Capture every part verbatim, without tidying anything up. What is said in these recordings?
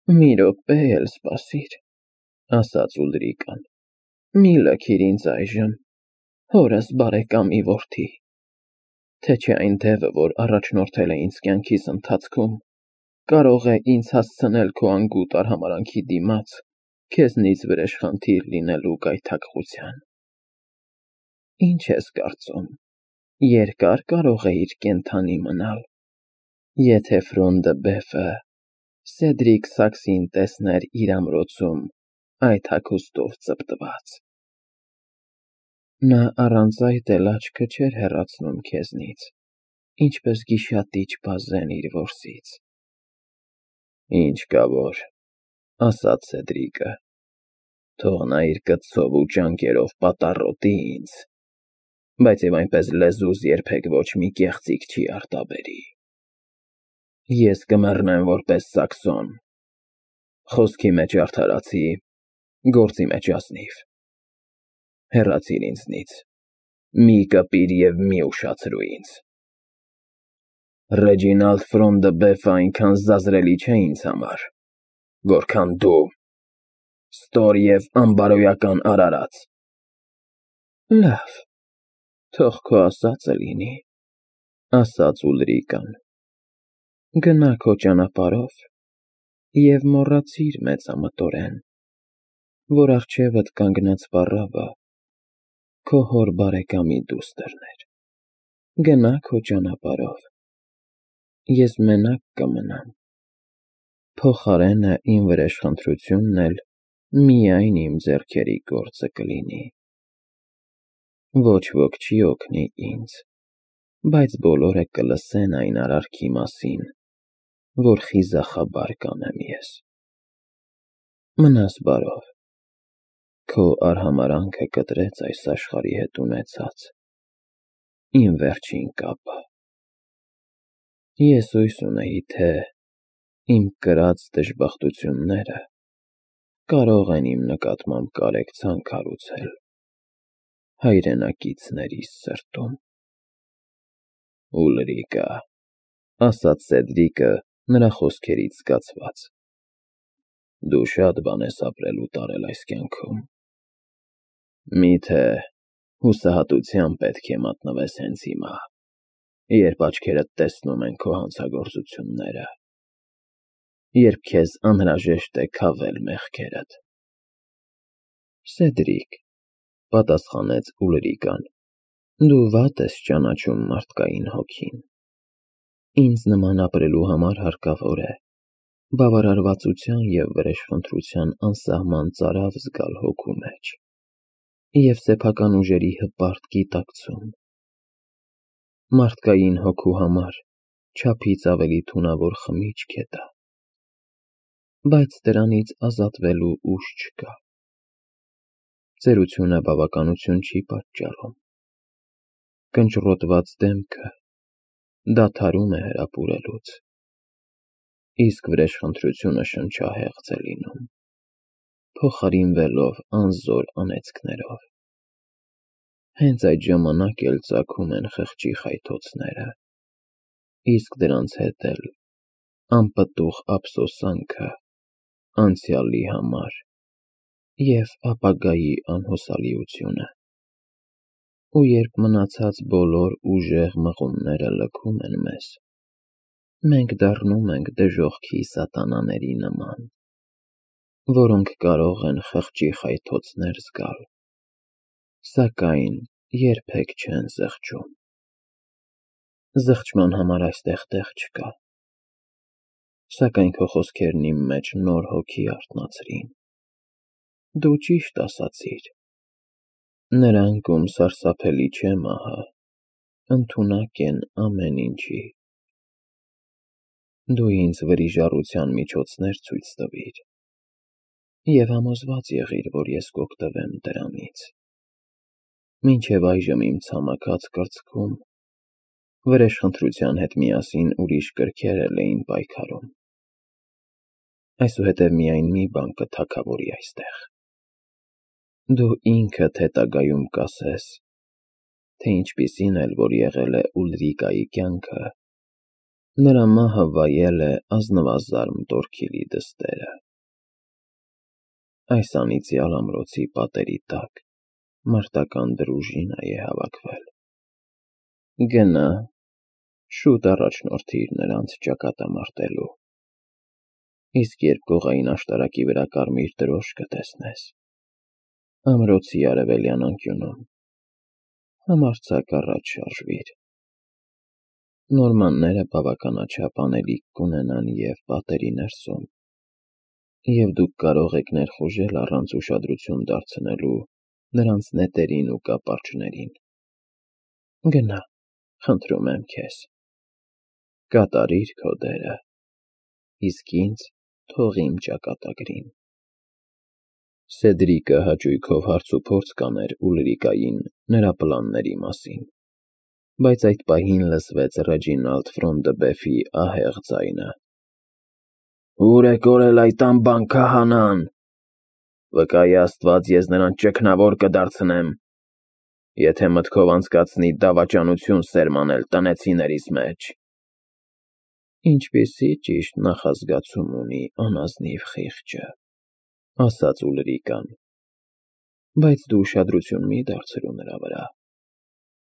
Մի րոպե էլ սպասիր, ասաց Ուլրիկան, մի լքիր ինձ այժմ, հորս բարեկամի որդի, թե չէ այն դևը, որ առաջնորդել է ինձ կյանքիս ընթացքում, կարող է ինձ հասցնել քո անգութ արհամարհանքի դիմաց քեզնից վրեժխնդիր լինելու գայթակղության։ Ինչ ես կարծում, երկա՞ր կարող էիր կենդանի մնալ, եթե Ֆրոնդը Բեֆը Սեդրիկ Սաքսին տեսներ իր ամրոցում այդ հագուստով ծպտված։ Նա առանց այդ էլ աչքը չէր հեռացնում քեզնից, ինչպես գիշատիչ բազեն իր որսից։ Ինչ կա որ, ասաց Սեդրիկը, թող նա իր կծով ու ճանկերով պատառոտի ինձ, բայց և այնպես լեզուս երբեք ոչ մի կեղծիք չի արտաբերի։ Ես կմեռնեմ որպես Սաքսոն, խոսքի մեջ արդարացի, գործի մեջ ազնիվ։ Հեռացիր ինձնից, մի կպիր և մի ուշացրու ինձ։ Ռեջինալդ Ֆրոնդը Բեֆը այնքան զազրելի չէ ինձ համար, որքան դու, ստոր և անբարոյական արարած։ Լավ, թող քո ասածը լինի, ասաց Ուլրիկան, գնա քո ճանապարհով և մոռացիր մեծամտորեն, որ առջևդ կանգնած պառավը քո հոր բարեկամի դուստրն էր, գնա քո ճանապարհով, ես մենակ կմնամ, փոխարենը իմ վրեժխնդրությունն էլ միայն իմ ձեռքերի գործը կլինի։ Ոչ ոք չի օգնի ինձ, բայց բոլորը կլսեն այն արարքի մասին, որ խիզախաբար կանեմ ես։ Մնաս բարով, քո արհամարհանքը կտրեց այս աշխարհի հետ ունեցած իմ վերջին կապը։ Ես հույս ունեի, թե իմ կրած դժբախտությունները կարող են իմ նկատմամբ կարեկցանք հարուցել հայրենակիցներիս սրտում։ Ուլրիկա, ասաց Սեդրիկը նրա խոսքերից զգացված, դու շատ բան ես ապրել ու տարել այս կյանքում, միթե հուսահատության պետք է մատնվես հենց հիմա, երբ աչքերդ տեսնում են քո հանցագործությունները, երբ քեզ անհրաժեշտ է քավել մեղքերդ։ Սեդրիկ, պատասխանեց Ուլրիկան, դու վատ ես ճանաչում մարդկային հոգին։ Ինձ նման ապրելու համար հարկավոր է բավարարվածության և վրեժխնդրության անսահման ծարավ զգալ հոգու մեջ և սեփական ուժերի հպարտ գիտակցում։ Մարդկային հոգու համար չափից ավելի թունավոր խմիչք է դա, բայց դրանից ազատվելու ուժ չկա։ Ծերությունը բավականություն չի պատճառում։ Կնճռոտված դեմքը դադարում է հրապուրելուց, իսկ վրեժխնդրությունը շնչահեղձ է լինում, փոխարինվելով անզոր անեծքներով։ Հենց այդ ժամանակ էլ ծագում են խղճի խայթոցները, իսկ դրանց հետ էլ անպտուղ ափսոսանքը անցյալի համար և ապագայի անհուսալիությունը։ Ու երբ մնացած բոլոր ուժեղ մղումները լքում են մեզ, մենք դառնում ենք դժոխքի սատանաների նման, որոնք կարող են խղճի խայթոցներ զգալ, սակայն երբեք չեն զղջում։ Զղջման համար այստեղ տեղ չկա, սակայն քո խոսքերն իմ մեջ նոր հոգի արթնացրին։ Դու ճիշտ ասացիր, նրանք, ում սարսափելի չէ մահը, ընդունակ են ամեն ինչի։ Դու ինձ վրիժառության միջոցներ ցույց տվիր և համոզված եղիր, որ ես կօգտվեմ դրանից։ Մինչև այժմ իմ ցամաքած կրծքում վրեժխնդրության հետ միասին ուրիշ կրքեր էլ էին պայքարում։ Այսուհետև միայն մի բան կթագավորի այստեղ։ Դու ինքդ հետագայում կասես, թե ինչպիսին էլ որ եղել է Ուլրիկայի կյանքը, Նրա մահը վայել է ազնվազարմ Տորքիլի դստերը։ Այս անիծյալ ամրոցի պատերի տակ մարտական դրուժինա է հավաքվել։ Գնա, շուտ առաջնորդիր նրանց ճակատամարտելու, իսկ երբ կողային աշտարակի վրա կարմիր դրոշ կտեսնես, ամրոցի արևելյան անկյունում, համարձակ առաջ շարժվիր։ Նորմանները բավականաչափ անելիք կունենան և պատերի ներսում, և դուք կարող եք ներխուժել առանց ուշադրություն դարձնելու նրանց նետերին ու կապարճներին։ Գնա, խնդրում եմ քեզ, կատարիր քո դերը, իսկ ինձ թող իմ ճակատագրին։ Սեդրիկը հաճույքով հարցուփորձ կաներ Ուլրիկային նրա պլանների մասին, բայց այդ պահին լսվեց Ռեջինալդ Ֆրոնդըբեֆի ահեղ ձայնը. «Ո՞ւր է կորել այդ անբան քահանան։ Վկայի Աստված, ես նրան ճգնավոր կդարձնեմ, եթե մտքով անցկացնի դավաճանություն սերմանել տնեցիներիս մեջ»։ Ինչպիսի ճիշտ նախազգացում ունի անազնիվ խիղճը, ասաց Ուլրիկան, բայց դու ուշադրություն մի դարձրու նրա վրա։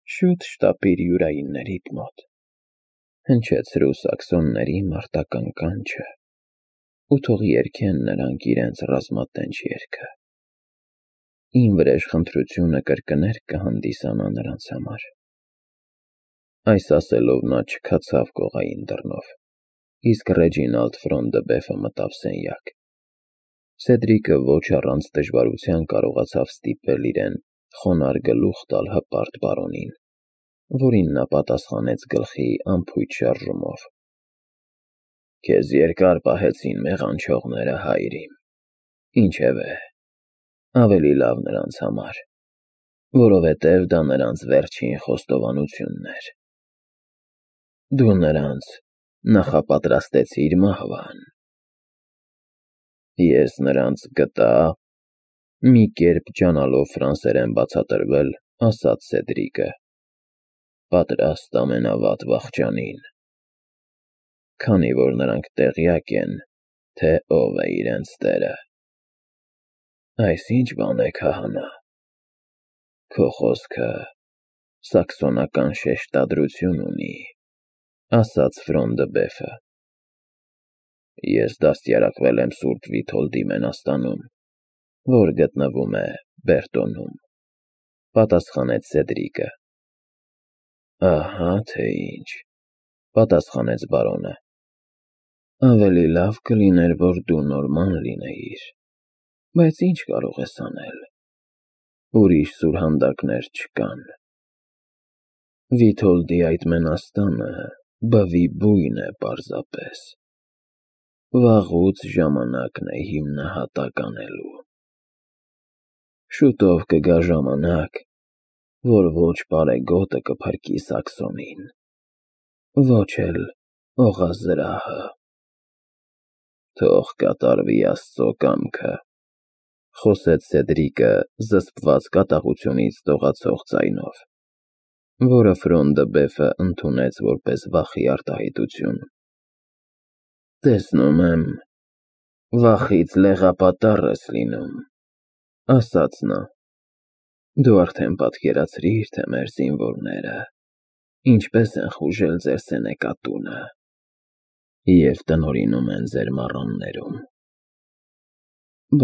Շուտ շտապիր յուրայիններիդ մոտ, հնչեցրու սաքսոնների մարտական կանչը ու թող երգեն նրանք իրենց ռազմատենչ երգը։ Իմ վրեժխնդրությունը կրկներ կհանդիսանա նրանց համար։ Այս ասելով նա չքացավ կողային դռնով, իսկ Ռեջինալդ Ֆրոնդըբեֆը մտավ սենյակ։ Սեդրիկը ոչ առանց դժվարության կարողացավ ստիպել իրեն խոնարհ գլուխ տալ հպարտ բարոնին, որին նա պատասխանեց գլխի անփույթ շարժումով. «Քեզ երկար պահեցին մեղանչողները, հայր իմ, ինչևէ, ավելի լավ նրանց համար, որովհետև դա նրանց վերջին խոստովանությունն էր։ Դու նրանց նախապատրաստեցիր մահվան»։ Ես նրանց գտա, մի կերպ ջանալով ֆրանսերեն բացատրվել, ասաց Սեդրիկը, պատրաստ ամենավատ վախճանին, քանի որ նրանք տեղյակ են, թե ով է իրենց տերը։ Այս ի՞նչ բան է, քահանա, քո խոսքը սաքսոնական շեշտադրություն ունի, ասաց Ֆրոնդըբեֆը։ Ես դաստիարակվել եմ Սուրբ Վիթոլդի մենաստանում, որ գտնվում է Բերտոնում, պատասխանեց Սեդրիկը։ Ահա թե ինչ, պատասխանեց բարոնը։ Ավելի լավ կլիներ, որ դու նորման լինեիր, բայց ինչ կարող ես անել, ուրիշ սուրհանդակներ չկան։ Վիթոլդի այդ մենաստանը բվի բույն է պարզապես, վաղուց ժամանակն է հիմնահատակ անելու։ Շուտով կգա ժամանակ, որ ոչ պարեգոտը կփրկի Սաքսոնին, ոչ էլ օղազրահը։ Թող կատարվի Աստծո կամքը, խոսեց Սեդրիկը զսպված կատաղությունից դողացող ձայնով, որը Ֆրոնդըբեֆը ընդունեց որպես վախի արտահայտություն։ Տեսնում եմ, վախից լեղապատառ ես լինում, ասաց նա։ Դու արդեն պատկերացրիր, թե մեր զինվորները ինչպես են խուժել ձեր սենեկատունը և տնօրինում են ձեր մառաններում։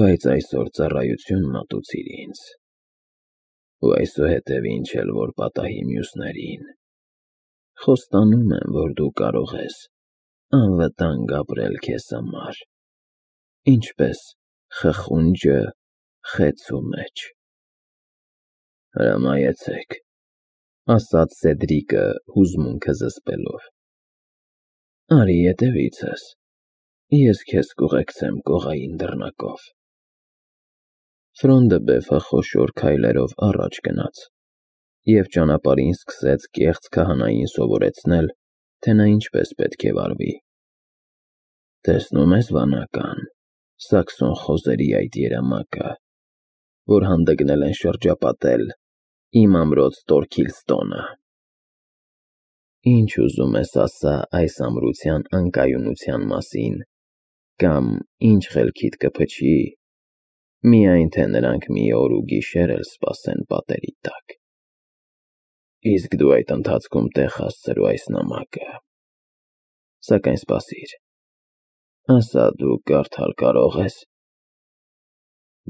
Բայց այսօր ծառայություն մատուցիր ինձ, ու այսուհետև ինչ էլ որ պատահի մյուսներին, խոստանում եմ, որ դու կարող ես անվտանգ ապրել քեզ համար, ինչպես խխունջը խեցու մեջ։ Հրամայեցեք, ասաց Սեդրիկը հուզմունքը զսպելով։ Արի ետևիցս, ես քեզ կուղեկցեմ կողային դռնակով։ Ֆրոնդըբեֆը խոշոր քայլերով առաջ գնաց և ճանապարհին սկսեց կեղծ քահանային սովորեցնել, թե նա ինչպես պետք է վարվի։ Տեսնում ես, վանական, սաքսոն խոզերի այդ երամակը, որ հանդգնել են շրջապատել իմ ամրոց Տորքիլստոնը։ Ինչ ուզում ես ասա այս ամրության անկայունության մասին, կամ ինչ խելքիդ կփչի, միայն թե նրանք մի օր ու գիշեր էլ սպասեն պատերի տակ։ Իսկ դու այդ ընթացքում տեղ հասցրու այս նամակը։ Սակայն սպասիր, ասա դու կարդալ կարող ես։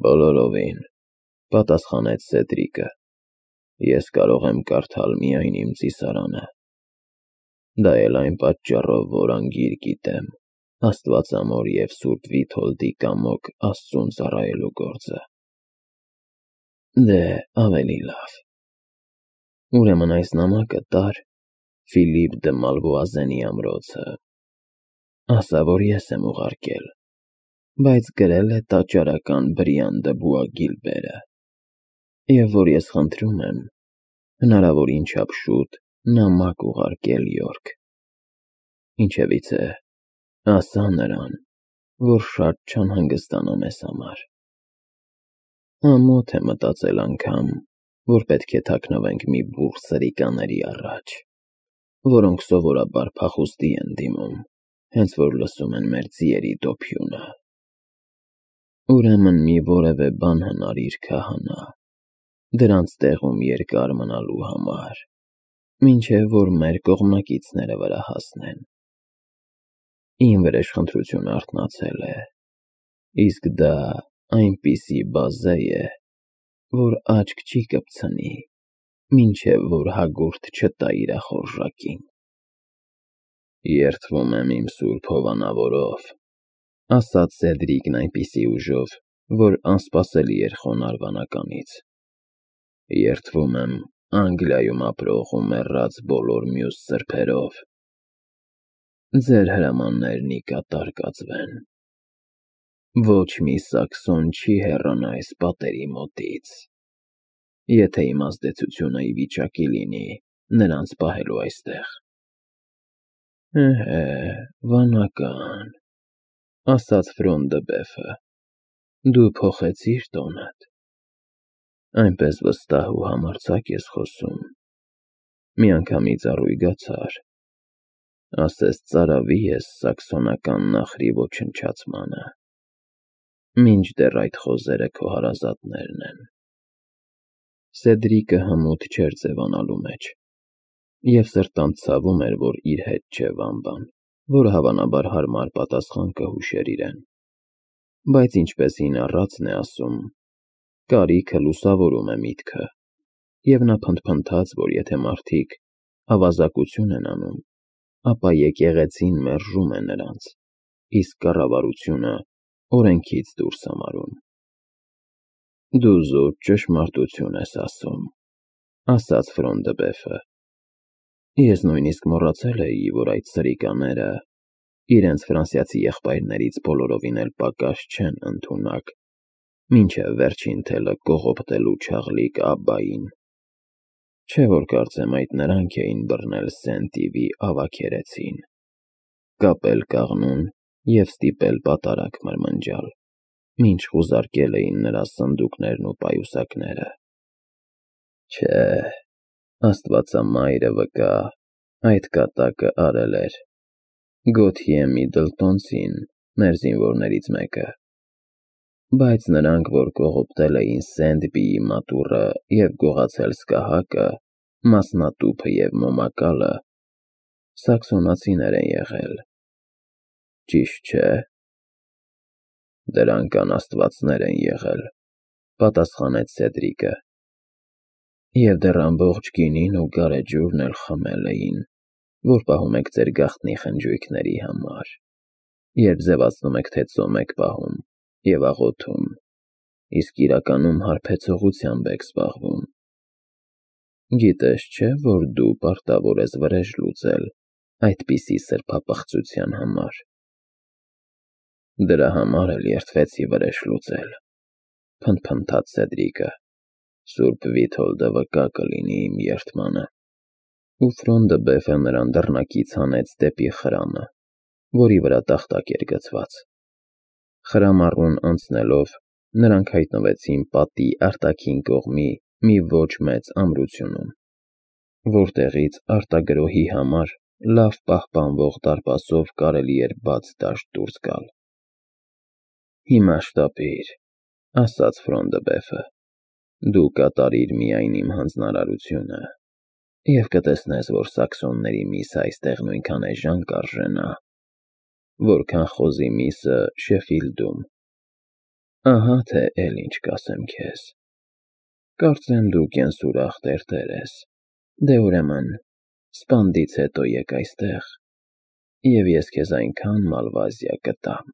Բոլորովին, պատասխանեց Սեդրիկը, ես կարող եմ կարդալ միայն իմ ծիսարանը։ Դա էլ այն պատճառով, որ անգիր գիտեմ Աստվածամոր և Սուրբ Վիթոլդի կամոք Աստծուն ծառայելու գործը։ Դե, ավելի լավ։ Ուրեմն այս նամակը տար Ֆիլիպ դը Մալվոազենի ամրոցը։ Ասա, որ ես եմ ուղարկել, բայց գրել է տաճարական Բրիան դը Բուագիլբերը, և որ ես խնդրում եմ հնարավորին չափ շուտ նամակ ուղարկել Յորք։ Ինչևիցե, ասա նրան, որ շատ չանհանգստանա մեզ համար։ Ամոթ է մտածել անգամ, որ պետք է թաքնվենք մի բուռ սրիկաների առաջ, որոնք սովորաբար փախուստի են դիմում, հենց որ լսում են մեր ձիերի դոփյունը։ Ուրեմն մի որևէ բան հնարիր քահանա, դրանց տեղում երկար մնալու համար, մինչև որ մեր կողմնակիցները վրա հասնեն։ Իմ վրեժխնդրությունը արթնացել է, իսկ դա այնպիսի բազե է, որ աչք չի կպցնի, մինչև որ հագուրդ չտա իրա խորժակին։ Երդվում եմ իմ սուրբ հովանավորով, ասաց Սեդրիկն այնպիսի ուժով, որ անսպասելի էր խոնարհ վանականից։ Երդվում եմ Անգլիայում ապրող ու մեռած բոլոր մյուս սրբերով։ Ձեր հրամաններն ի կատար կացվեն։ Ոչ մի սաքսոն չի հեռանա այս պատերի մոտից, եթե իմ ազդեցությունը ի վիճակի լինի նրանց պահելու այստեղ։ Էհե, վանական, ասաց Ֆրոն դը Բեֆը, դու փոխեցիր տոնդ։ Այնպես վստահ ու համարձակ ես խոսում, միանգամից առույգացար, ասես ծարավի ես սաքսոնական նախրի ոչնչացմանը, մինչդեռ այդ խոզերը քո հարազատներն են։ Սեդրիկը հմուտ չէր ձևանալու մեջ, և սրտանց ցավում էր, որ իր հետ չէ Վամբան, որը հավանաբար հարմար պատասխան կհուշեր իրեն, բայց ինչպես հին առածն է ասում, կարիքը լուսավորում է միտքը, և նա փնթփնթաց, որ եթե մարդիկ ավազակություն են անում, ապա եկեղեցին մերժում է նրանց, իսկ կառավարությունը օրենքից դուրս համարում։ Դու զուտ ճշմարտություն ես ասում, ասաց Ֆրոն դը Բեֆը։ Ես նույնիսկ մոռացել էի, որ այդ սրիկաները իրենց ֆրանսիացի եղբայրներից բոլորովին էլ պակաս չեն ընդունակ, մինչև վերջին թելը կողոպտելու չաղլիկ Աբբային։ Չէ՞ որ կարծեմ այդ նրանք էին բռնել Սենտ Իվի ավագերեցին, կապել կաղնուն և ստիպել պատարագ մրմնջալ, մինչ խուզարկել էին նրա սնդուկներն ու պայուսակները։ Չէ, Աստվածամայրը վկա, այդ կատակը արել էր Գոթյե Միդլտոնցին, մեր զինվորներից մեկը, բայց նրանք, որ կողոպտել էին Սենտ Պիի մատուռը և գողացել սկահակը, մասնատուփը և մոմակալը, սաքսոնացիներ են եղել, ճիշտ չէ։ Դրանք անաստվածներ են եղել, պատասխանեց Սեդրիկը, և դեռ ամբողջ գինին ու գարեջուրն էլ խմել էին, որ պահում եք ձեր գաղտնի խնջույքների համար, երբ ձևացնում եք, թե ծոմ եք պահում և աղոթում, իսկ իրականում հարբեցողությամբ եք զբաղվում։ Գիտես չէ, որ դու պարտավոր ես վրեժ լուծել այդպիսի սրբապղծության համար։ Դրա համար էլ երդվեցի վրեժ լուծել, փնթփնթաց Սեդրիկը, Սուրբ Վիթոլդը վկա կլինի իմ երդմանը։ Ու Ֆրոն դը Բեֆը նրան դռնակից հանեց դեպի խրամը, որի վրա տախտակ էր գցված։ Խրամառուն անցնելով, նրանք հայտնվեցին պատի արտաքին կողմի մի ոչ մեծ ամրությունում։ որտեղից արտագրոհի համար լավ պահպանվող դարպասով կարելի էր բաց դաշտ դուրս գալ։ Հիմա շտապիր, ասաց Ֆրոնդը դու կատարիր միայն իմ հանձնարարությունը, և կտեսնես, որ սաքսոնների միսը այստեղ նույնքան էժան կարժենա, որքան խոզի միսը Շեֆիլդում։ Ահա թե էլ ինչ կասեմ քեզ. կարծեմ դու կենսուրախ տերտեր ես, դե ուրեմն սպանդից հետո եկ այստեղ, և ես քեզ այնքան մալվազիա կտամ,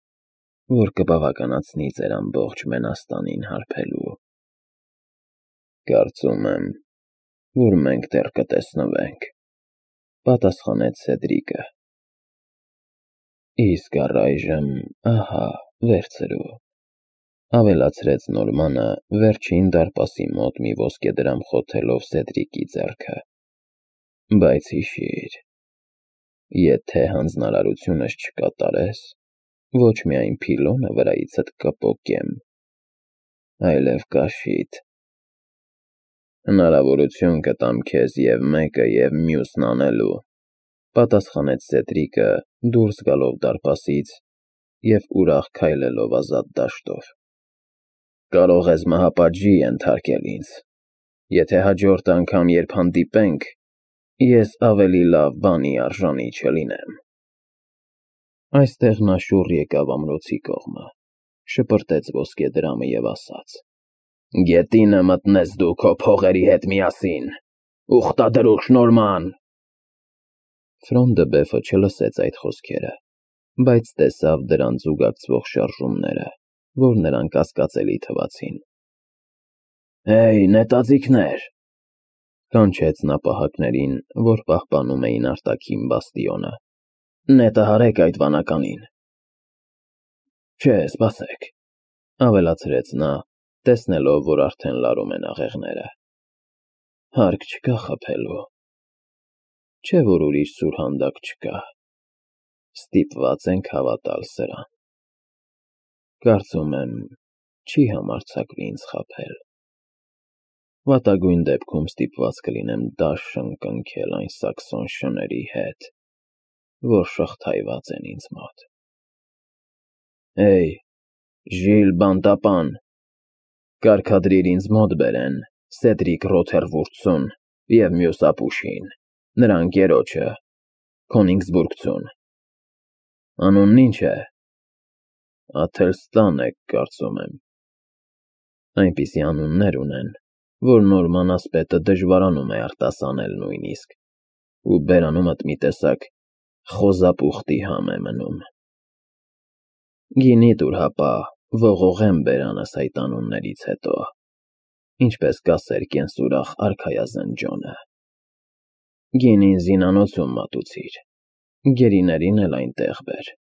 որ կբավականացնի ձեր ամբողջ մենաստանին հարբելու։ Կարծում եմ, որ մենք դեռ կտեսնվենք, պատասխանեց Սեդրիկը։ Իսկ առայժմ ահա վերցրու, ավելացրեց Նորմանը վերջին դարպասի մոտ մի ոսկեդրամ խոթելով Սեդրիկի ձեռքը, բայց հիշիր, եթե հանձնարարությունս չկատարես, ոչ միայն փիլոնը վրայիցդ կպոկեմ, այլև կաշիդ։ Հնարավորություն կտամ քեզ և մեկը և մյուսն անելու, պատասխանեց Սեդրիկը դուրս գալով դարպասից և ուրախ քայլելով ազատ դաշտով։ Կարող ես մահապատժի ենթարկել ինձ, եթե հաջորդ անգամ, երբ հանդիպենք, ես ավելի լավ բանի արժանի չլինեմ։ Այստեղ նա շուռ եկավ ամրոցի կողմը, շպրտեց ոսկեդրամը և ասաց. Գետինը մտնես դու քո փողերի հետ միասին, ուխտադրուխ Նորման։ Ֆրոնդը չլսեց այդ խոսքերը, բայց տեսավ դրան զուգակցվող շարժումները, որ նրան կասկածելի թվացին։ Հեյ, նետաձիգներ, կանչեց նա պահակներին, որ պահպանում էին արտաքին բաստիոնը, նետը հարեք այդ վանականին։ Չէ, սպասեք, ավելացրեց նա, տեսնելով, որ արդեն լարում են աղեղները, հարկ չկա խաբելու, չէ որ ուրիշ սուրհանդակ չկա, ստիպված ենք հավատալ սրան։ Կարծում եմ, չի համարձակվի ինձ խաբել, վատագույն դեպքում ստիպված կլինեմ դաշն կնքել այն սաքսոն շների հետ, որ շղթայված են ինձ մոտ։ Հեյ, Ժիլ բանտապան, կարգադրիր ինձ մոտ բերեն Սեդրիկ Ռոթերվուրդսուն և մյուս ապուշին, նրա ընկերոջը, Քոնիգսբուրգցուն։ Անունն ինչ է։ Աթելստան է, կարծում եմ։ Այնպիսի անուններ ունեն, որ Նորման ասպետը դժվարանում է արտասանել նույնիսկ, ու բերանումդ մի տեսակ խոզապուխտի համ է մնում։ Գինի տուր հապա, ողողեմ բերանս այդ անուններից հետո, ինչպես կասեր կենսուրախ արքայազն Ջոնը։ Գինին զինանոցում մատուցիր, գերիներին էլ այնտեղ բեր։